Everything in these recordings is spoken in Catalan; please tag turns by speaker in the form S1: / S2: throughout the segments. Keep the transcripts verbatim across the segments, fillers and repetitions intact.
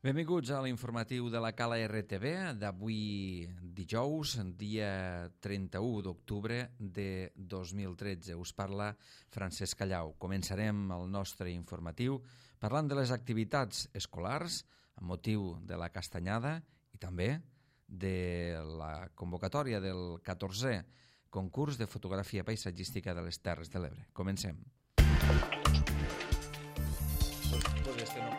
S1: Benvinguts a l'informatiu de la Cala R T V d'avui dijous, dia trenta-u d'octubre de dos mil tretze. Us parla Francesc Callau. Començarem el nostre informatiu parlant de les activitats escolars amb motiu de la Castanyada i també de la convocatòria del catorzè concurs de fotografia paisatgística de les Terres de l'Ebre. Comencem. Pues este no.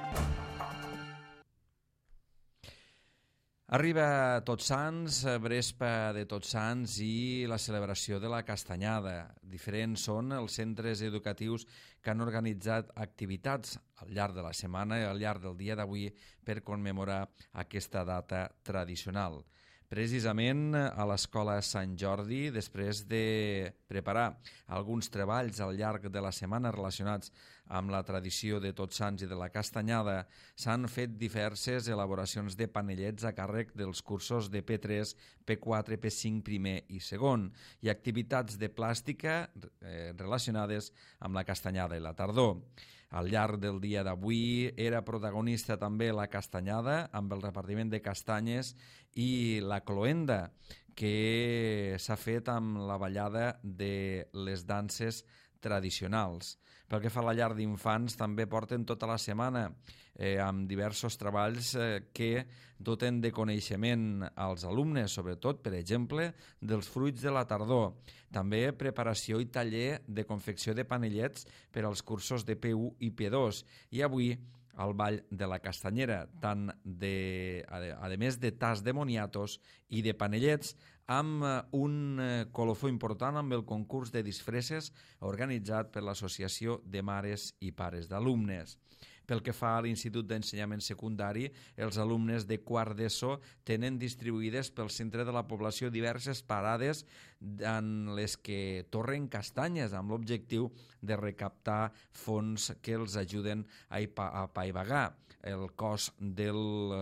S1: Arriba Tots Sants, Brespa de Tots Sants i la celebració de la Castanyada. Diferents són els centres educatius que han organitzat activitats al llarg de la setmana i al llarg del dia d'avui per commemorar aquesta data tradicional. Precisament a l'Escola Sant Jordi, després de preparar alguns treballs al llarg de la setmana relacionats amb la tradició de Tots Sants i de la Castanyada, s'han fet diverses elaboracions de panellets a càrrec dels cursos de P tres, P quatre, P cinc, primer i segon, i activitats de plàstica eh, relacionades amb la Castanyada i la tardor. Al llarg del dia d'avui era protagonista també la Castanyada amb el repartiment de castanyes i la cloenda, que s'ha fet amb la ballada de les danses tradicionals. Pel que fa a la llar d'infants, també porten tota la setmana eh, amb diversos treballs eh, que doten de coneixement als alumnes, sobretot, per exemple, dels fruits de la tardor. També preparació i taller de confecció de panellets per als cursos de P u i P dos. I avui al Ball de la Castanyera, tant de, a, a més de tas de moniatos i de panellets, amb un colofó important amb el concurs de disfresses organitzat per l'Associació de Mares i Pares d'Alumnes. Pel que fa a l'Institut d'Ensenyament Secundari, els alumnes de quart d'ESO tenen distribuïdes pel centre de la població diverses parades en les que torren castanyes amb l'objectiu de recaptar fons que els ajuden a apaivagar el cost del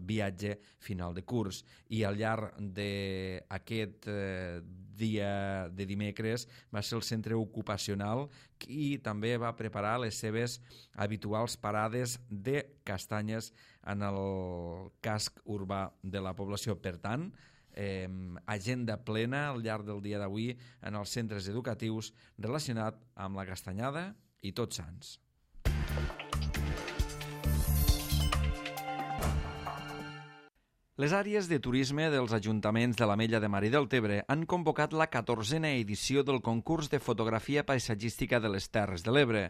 S1: viatge final de curs. I al llarg d'aquest dia de dimecres va ser el centre ocupacional qui també va preparar les seves habituals parades de castanyes en el casc urbà de la població. Per tant, eh, agenda plena al llarg del dia d'avui en els centres educatius relacionat amb la Castanyada i Tots Sants. Les àrees de turisme dels ajuntaments de l'Ametlla de Mar i del Tebre han convocat la catorzena edició del concurs de fotografia paisatgística de les Terres de l'Ebre,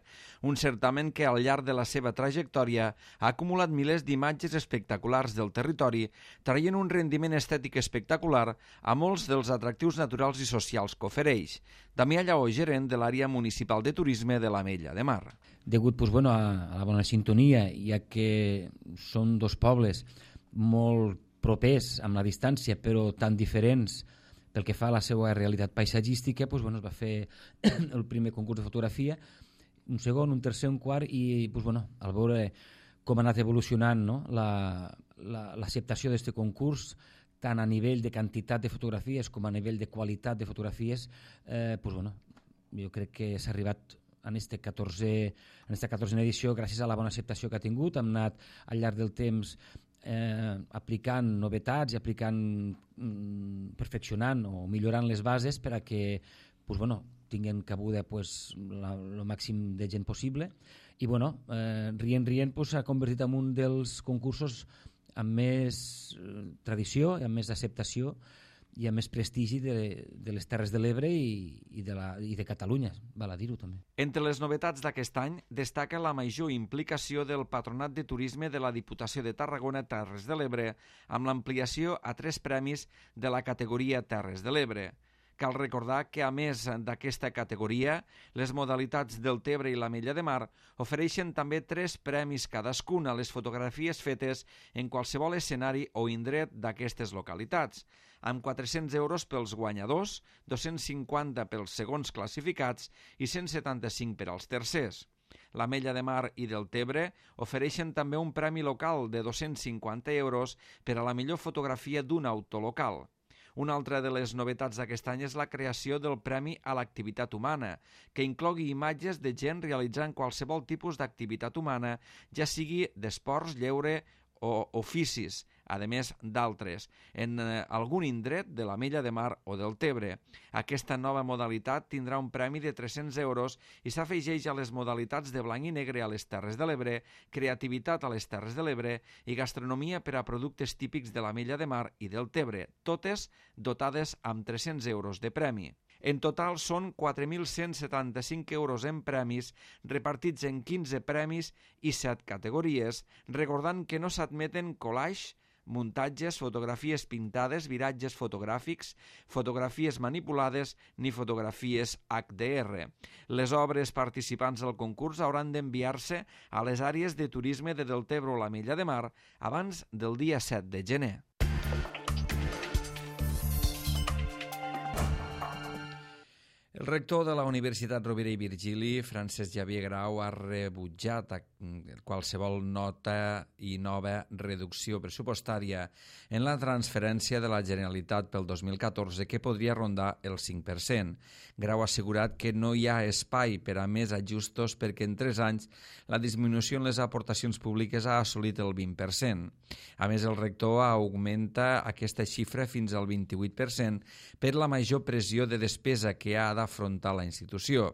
S1: un certamen que al llarg de la seva trajectòria ha acumulat milers d'imatges espectaculars del territori, traient un rendiment estètic espectacular a molts dels atractius naturals i socials que ofereix. Damià Lleó, gerent de l'àrea municipal de turisme de l'Ametlla de Mar.
S2: Degut pues, bueno, a, a la bona sintonia, ja que són dos pobles molt propers amb la distància però tan diferents pel que fa a la seva realitat paisatgística, doncs, bueno, es va fer el primer concurs de fotografia, un segon, un tercer, un quart i doncs, bueno, al veure com ha anat evolucionant, no? l'acceptació la, la, d'aquest concurs tant a nivell de quantitat de fotografies com a nivell de qualitat de fotografies, eh, doncs, bueno, jo crec que s'ha arribat en aquesta catorzena edició gràcies a la bona acceptació que ha tingut. Hem anat al llarg del temps eh, aplicant novetats i aplicant, mm, perfeccionant o millorant les bases per a que pues, bueno, tinguin cabuda pues, la, el màxim de gent possible i bueno, eh, rient rient pues, s'ha convertit en un dels concursos amb més eh, tradició i amb més acceptació i amb més prestigi de, de les Terres de l'Ebre i, i, de la, i de Catalunya, val a dir-ho també.
S1: Entre les novetats d'aquest any destaca la major implicació del Patronat de Turisme de la Diputació de Tarragona Terres de l'Ebre amb l'ampliació a tres premis de la categoria Terres de l'Ebre. Cal recordar que, a més d'aquesta categoria, les modalitats del Tebre i l'Ametlla de Mar ofereixen també tres premis cadascun a les fotografies fetes en qualsevol escenari o indret d'aquestes localitats, amb quatre-cents euros pels guanyadors, dos-cents cinquanta pels segons classificats i cent setanta-cinc per als tercers. L'Ametlla de Mar i del Tebre ofereixen també un premi local de dos-cents cinquanta euros per a la millor fotografia d'un autolocal. Una altra de les novetats d'aquest any és la creació del Premi a l'Activitat Humana, que inclogui imatges de gent realitzant qualsevol tipus d'activitat humana, ja sigui d'esports, lleure o oficis, a més d'altres, en eh, algun indret de la Mella de Mar o del Tebre. Aquesta nova modalitat tindrà un premi de tres-cents euros i s'afegeix a les modalitats de blanc i negre a les Terres de l'Ebre, creativitat a les Terres de l'Ebre i gastronomia per a productes típics de la Mella de Mar i del Tebre, totes dotades amb tres-cents euros de premi. En total són quatre mil cent setanta-cinc euros en premis, repartits en quinze premis i set categories, recordant que no s'admeten collage, muntatges, fotografies pintades, viratges fotogràfics, fotografies manipulades ni fotografies H D R. Les obres participants al concurs hauran d'enviar-se a les àrees de turisme de Deltebre o la Mella de Mar abans del dia set de gener. El rector de la Universitat Rovira i Virgili, Francesc Xavier Grau, ha rebutjat qualsevol nota i nova reducció pressupostària en la transferència de la Generalitat pel dos mil catorze, que podria rondar el cinc per cent. Grau ha assegurat que no hi ha espai per a més ajustos perquè en tres anys la disminució en les aportacions públiques ha assolit el vint per cent. A més, el rector augmenta aquesta xifra fins al vint-i-vuit per cent per la major pressió de despesa que ha d'afrontar la institució.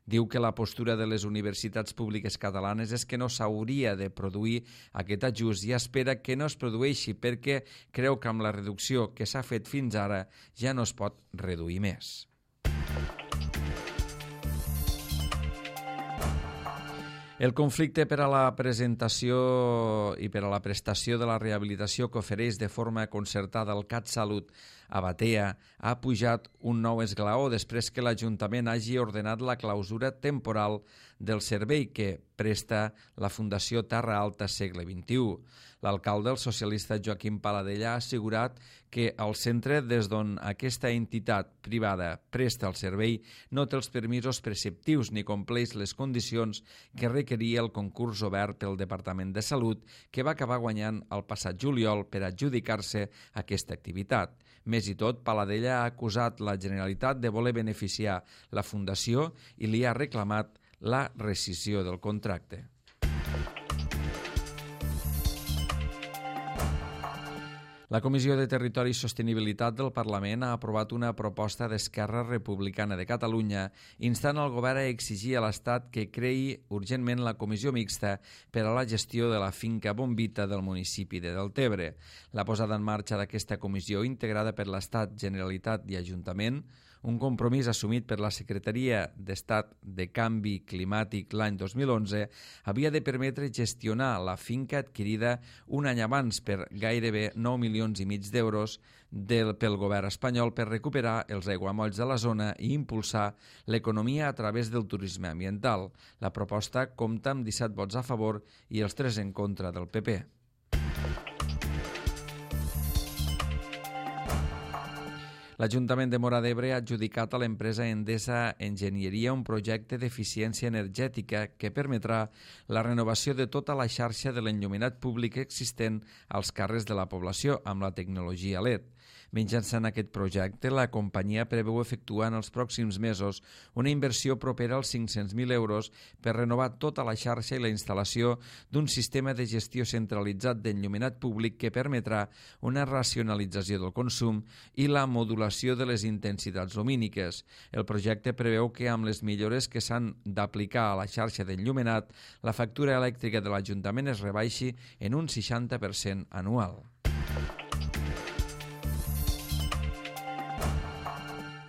S1: Diu que la postura de les universitats públiques catalanes és que no s'hauria de produir aquest ajust i espera que no es produeixi perquè creu que amb la reducció que s'ha fet fins ara ja no es pot reduir més. El conflicte per a la presentació i per a la prestació de la rehabilitació que ofereix de forma concertada el CatSalut a Batea ha pujat un nou esglaó després que l'Ajuntament hagi ordenat la clausura temporal del servei que presta la Fundació Terra Alta Segle vint-i-u. L'alcalde, el socialista Joaquim Paladella, ha assegurat que el centre des d'on aquesta entitat privada presta el servei no té els permisos preceptius ni compleix les condicions que requeria el concurs obert pel Departament de Salut, que va acabar guanyant el passat juliol per adjudicar-se aquesta activitat. Més i tot, Paladella ha acusat la Generalitat de voler beneficiar la Fundació i li ha reclamat la rescissió del contracte. La Comissió de Territori i Sostenibilitat del Parlament ha aprovat una proposta d'Esquerra Republicana de Catalunya instant el govern a exigir a l'Estat que creï urgentment la comissió mixta per a la gestió de la finca Bombita del municipi de Deltebre. La posada en marxa d'aquesta comissió, integrada per l'Estat, Generalitat i Ajuntament, un compromís assumit per la Secretaria d'Estat de Canvi Climàtic l'any dos mil onze, havia de permetre gestionar la finca adquirida un any abans per gairebé nou milions i mig d'euros del, pel govern espanyol per recuperar els aiguamolls de la zona i impulsar l'economia a través del turisme ambiental. La proposta compta amb disset vots a favor i els tres en contra del P P. L'Ajuntament de Móra d'Ebre ha adjudicat a l'empresa Endesa Enginyeria un projecte d'eficiència energètica que permetrà la renovació de tota la xarxa de l'enllumenat públic existent als carrers de la població amb la tecnologia L E D. Mitjançant aquest projecte, la companyia preveu efectuar en els pròxims mesos una inversió propera als cinc-cents mil euros per renovar tota la xarxa i la instal·lació d'un sistema de gestió centralitzat d'enllumenat públic que permetrà una racionalització del consum i la modulació de les intensitats lumíniques. El projecte preveu que amb les millores que s'han d'aplicar a la xarxa d'enllumenat, la factura elèctrica de l'Ajuntament es rebaixi en un seixanta per cent anual.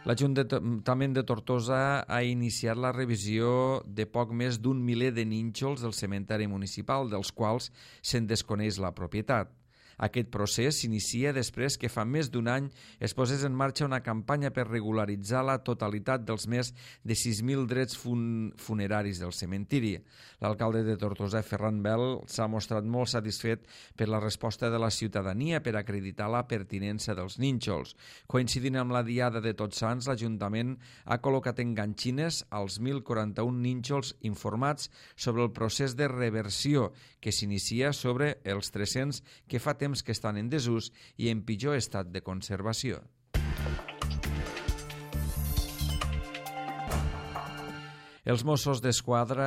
S1: L'Ajuntament de Tortosa ha iniciat la revisió de poc més d'un miler de nínxols del cementeri municipal, dels quals se'n desconeix la propietat. Aquest procés s'inicia després que fa més d'un any es posés en marxa una campanya per regularitzar la totalitat dels més de sis mil drets fun funeraris del cementiri. L'alcalde de Tortosa, Ferran Bel, s'ha mostrat molt satisfet per la resposta de la ciutadania per acreditar la pertinença dels nínxols. Coincidint amb la diada de Tots Sants, l'Ajuntament ha col·locat enganxines als mil quaranta-un nínxols informats sobre el procés de reversió que s'inicia sobre els tres-cents que fa temps que estan en desús i en pitjor estat de conservació. Els Mossos d'Esquadra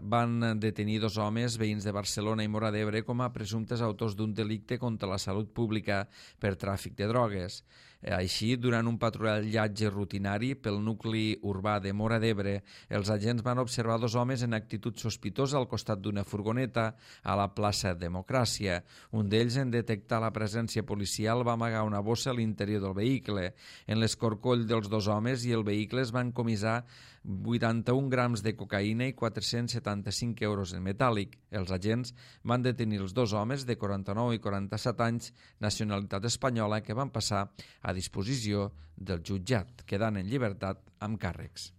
S1: van detenir dos homes veïns de Barcelona i Móra d'Ebre com a presumptes autors d'un delicte contra la salut pública per tràfic de drogues. Així, durant un patrullatge rutinari pel nucli urbà de Móra d'Ebre, els agents van observar dos homes en actitud sospitosa al costat d'una furgoneta a la plaça Democràcia. Un d'ells, en detectar la presència policial, va amagar una bossa a l'interior del vehicle. En l'escorcoll dels dos homes i el vehicle es van comissar vuitanta-un grams de cocaïna i quatre-cents setanta-cinc euros en metàl·lic. Els agents van detenir els dos homes de quaranta-nou i quaranta-set anys, nacionalitat espanyola, que van passar a disposició del jutjat, quedant en llibertat amb càrrecs.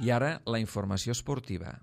S1: I ara la informació esportiva.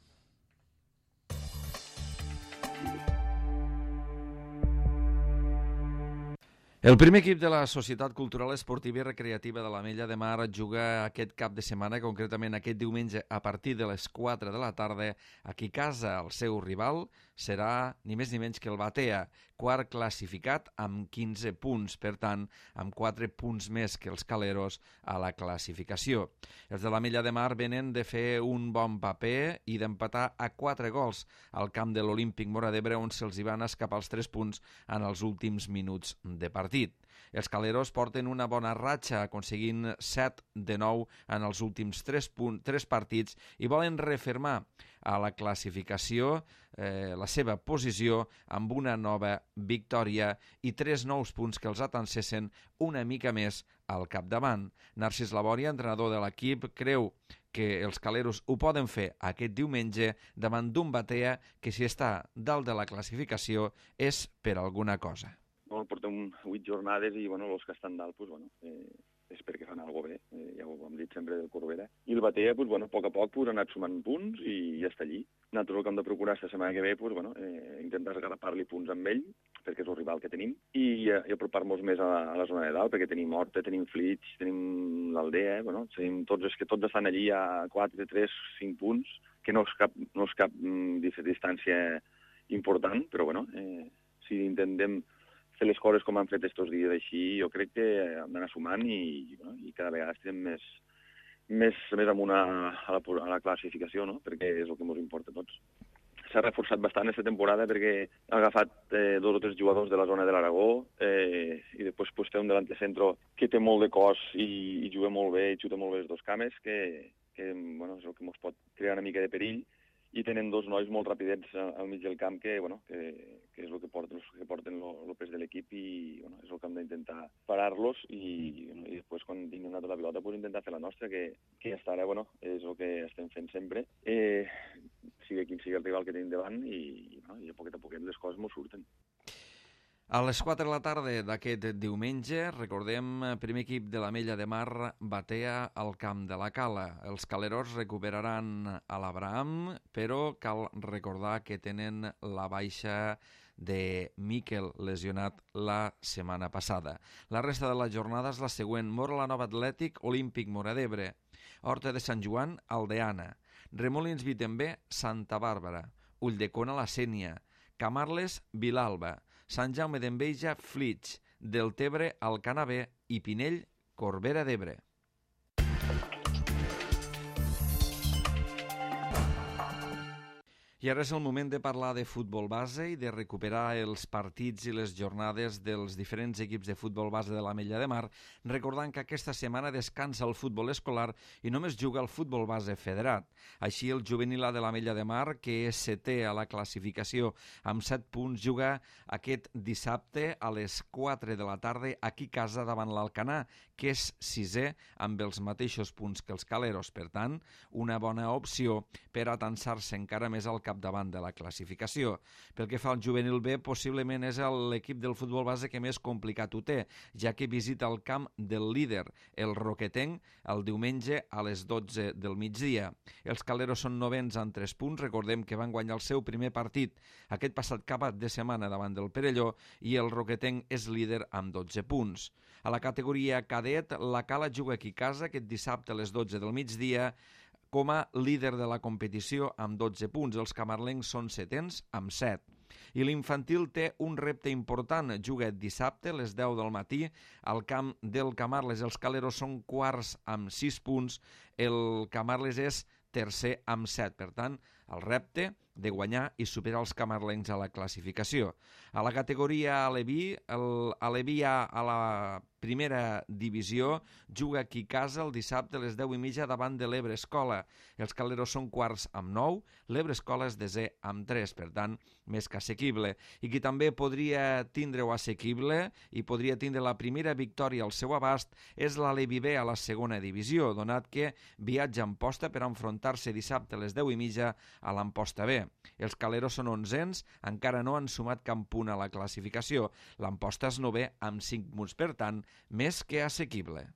S1: El primer equip de la Societat Cultural Esportiva i Recreativa de l'Ametlla de Mar juga aquest cap de setmana, concretament aquest diumenge a partir de les quatre de la tarda, aquí a casa. El seu rival serà ni més ni menys que el Batea, quart classificat amb quinze punts, per tant, amb quatre punts més que els Caleros a la classificació. Els de l'Ametlla de Mar venen de fer un bon paper i d'empatar a quatre gols al camp de l'Olímpic Móra d'Ebre, on se'ls hi van escapar els tres punts en els últims minuts de partit. Els Caleros porten una bona ratxa, aconseguint set de nou en els últims tres partits i volen refermar a la classificació eh, la seva posició amb una nova victòria i tres nous punts que els atansessin una mica més al capdavant. Narcís Labòria, entrenador de l'equip, creu que els Caleros ho poden fer aquest diumenge davant d'un Batea que, si està dalt de la classificació, és per alguna cosa.
S3: Bueno, portem vuit jornades i bueno, els que estan dalt pues, bueno, eh, és perquè fan alguna cosa bé, eh, ja ho hem dit sempre del Corbera. I el Batea, pues, bueno, a poc a poc pues, ha anat sumant punts i ja està allí. Nosaltres el que hem de procurar esta setmana que ve, pues, bueno, eh, intentar agarrapar-li punts amb ell, perquè és el rival que tenim, i, eh, i apropar-nos més a, a la zona de dalt, perquè tenim Horta, tenim Flix, tenim l'Aldea, eh, bueno, tenim tots, és que tots estan allí a quatre, tres, cinc punts, que no és cap, no és cap mm, distància important, però bueno, eh, si intentem fer les coses com han fet estos dies així, jo crec que hem d'anar sumant i, bueno, i cada vegada estem més, més, més amunt a, a, la, a la classificació, no? Perquè és el que ens importa a tots. S'ha reforçat bastant aquesta temporada perquè ha agafat eh, dos o tres jugadors de la zona de l'Aragó eh, i després pues, té un delantecentro que té molt de cos i, i juga molt bé i xuta molt bé les dos cames, que, que bueno, és el que ens pot crear una mica de perill. I tenen dos nois molt rapidets al mig del camp que, bueno, que, que és el que porten, que porten el pes de l'equip i bueno, és el que hem d'intentar parar-los i, bueno, i després quan tinguem tota la pilota pues, intentar fer la nostra, que, que hasta ara bueno, és el que estem fent sempre, eh, sigui quin sigui el rival que tenim davant i, bueno, i a poquet a poquet les coses ens surten.
S1: A les quatre de la tarda d'aquest diumenge, recordem, primer equip de l'Ametlla de Mar Batea al camp de la Cala. Els Caleros recuperaran a l'Abraham, però cal recordar que tenen la baixa de Miquel, lesionat la setmana passada. La resta de la jornada és la següent: Móra la Nova Atlètic, Olímpic Móra d'Ebre, Horta de Sant Joan, Aldeana, Remolins Vitembé, Santa Bàrbara, Ulldecona, la Sénia, Camarles, Vilalba, Sant Jaume d'Enveja, Flix, Deltebre, Alcanavè i Pinell, Corbera d'Ebre. I ara és el moment de parlar de futbol base i de recuperar els partits i les jornades dels diferents equips de futbol base de l'Ametlla de Mar, recordant que aquesta setmana descansa el futbol escolar i només juga el futbol base federat. Així, el juvenil A de l'Ametlla de Mar, que és setè a la classificació amb set punts, juga aquest dissabte a les quatre de la tarda aquí a casa davant l'Alcanar, que és sisè amb els mateixos punts que els Caleros. Per tant, una bona opció per atansar-se encara més al capdavant de la classificació. Pel que fa al juvenil B, possiblement és l'equip del futbol base que més complicat ho té, ja que visita el camp del líder, el Roquetenc, el diumenge a les dotze del migdia. Els Caleros són novens amb tres punts, recordem que van guanyar el seu primer partit aquest passat cap de setmana davant del Perelló, i el Roquetenc és líder amb dotze punts. A la categoria cadet, la Cala juga aquí a casa aquest dissabte a les dotze del migdia, com a líder de la competició amb dotze punts. Els camarlencs són setens amb set. I l'infantil té un repte important. Juga dissabte a les deu del matí al camp del Camarles. Els Caleros són quarts amb sis punts, el Camarles és tercer amb set. Per tant, el repte de guanyar i superar els camarlencs a la classificació. A la categoria Aleví, el Aleví A a la primera divisió juga aquí a casa el dissabte a les deu i mitja davant de l'Ebre Escola. Els Caleros són quarts amb nou, l'Ebre Escola és desè amb tres, per tant, més que assequible. I qui també podria tindre-ho assequible i podria tindre la primera victòria al seu abast és l'Aleví B a la segona divisió, donat que viatja a Amposta per enfrontar-se dissabte a les deu i mitja a l'Amposta B. Els Caleros són onzens, encara no han sumat cap punt a la classificació. L'Amposta és novè amb cinc punts, per tant, més que assequible.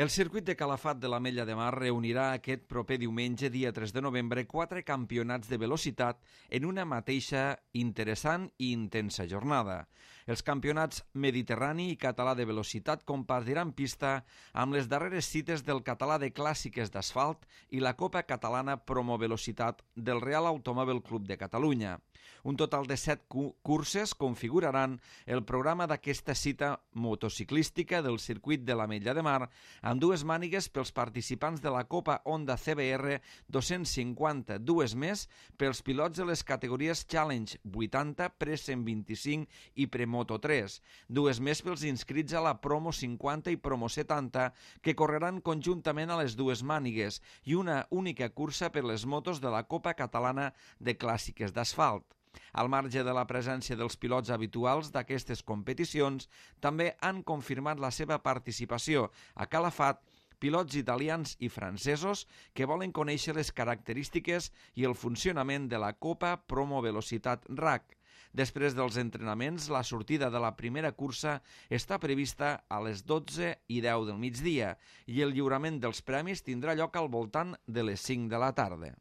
S1: El circuit de Calafat de l'Ametlla de Mar reunirà aquest proper diumenge, dia tres de novembre, quatre campionats de velocitat en una mateixa interessant i intensa jornada. Els campionats Mediterrani i Català de velocitat compartiran pista amb les darreres cites del Català de clàssiques d'asfalt i la Copa Catalana Promovelocitat del Real Automòbil Club de Catalunya. Un total de set curses configuraran el programa d'aquesta cita motociclística del circuit de l'Ametlla de Mar, amb dues mànigues pels participants de la Copa Honda C B R dos-cents cinquanta, dues més pels pilots de les categories Challenge vuitanta, Pre cent vint-i-cinc i Premoto tres, dues més pels inscrits a la Promo cinquanta i Promo setanta, que correran conjuntament a les dues mànigues, i una única cursa per les motos de la Copa Catalana de Clàssiques d'Asfalt. Al marge de la presència dels pilots habituals d'aquestes competicions, també han confirmat la seva participació a Calafat pilots italians i francesos que volen conèixer les característiques i el funcionament de la Copa Promovelocitat R A C. Després dels entrenaments, la sortida de la primera cursa està prevista a les dotze i deu del migdia i el lliurament dels premis tindrà lloc al voltant de les cinc de la tarda.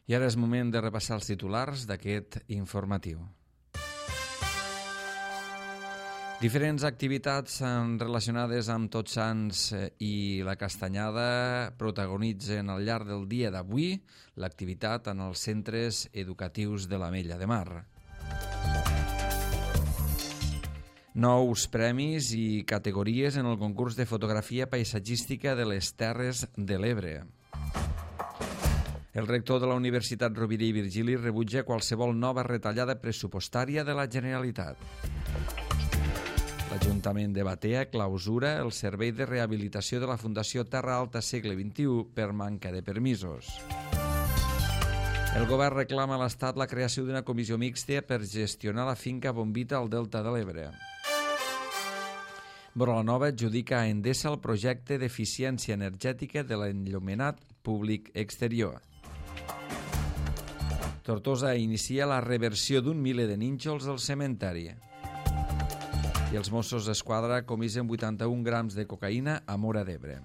S1: I ara és moment de repassar els titulars d'aquest informatiu. Diferents activitats relacionades amb Tots Sants i la Castanyada protagonitzen al llarg del dia d'avui l'activitat en els centres educatius de l'Ametlla de Mar. Nous premis i categories en el concurs de fotografia paisatgística de les Terres de l'Ebre. El rector de la Universitat Rovira i Virgili rebutja qualsevol nova retallada pressupostària de la Generalitat. L'Ajuntament de Batea clausura el servei de rehabilitació de la Fundació Terra Alta Segle vint-i-u per manca de permisos. El govern reclama a l'Estat la creació d'una comissió mixta per gestionar la finca Bombita al Delta de l'Ebre. Borlanova adjudica a Endesa el projecte d'eficiència energètica de l'enllumenat públic exterior. Tortosa inicia la reversió d'un miler de nínxols al cementeri. I els Mossos d'Esquadra comisen vuitanta-un grams de cocaïna a Móra d'Ebre.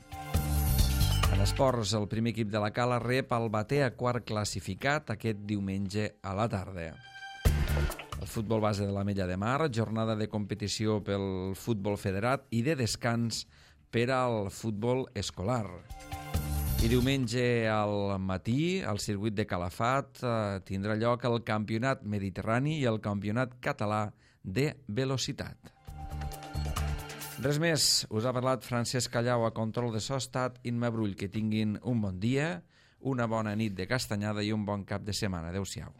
S1: En esports, el primer equip de la Cala rep el Batea quart classificat aquest diumenge a la tarda. El futbol base de l'Ametlla de Mar, jornada de competició pel futbol federat i de descans per al futbol escolar. I diumenge al matí, al circuit de Calafat, eh, tindrà lloc el Campionat Mediterrani i el Campionat Català de Velocitat. Res més, us ha parlat Francesc Callau a control de so, estat Imma Brull. Que tinguin un bon dia, una bona nit de castanyada i un bon cap de setmana. Adéu-siau.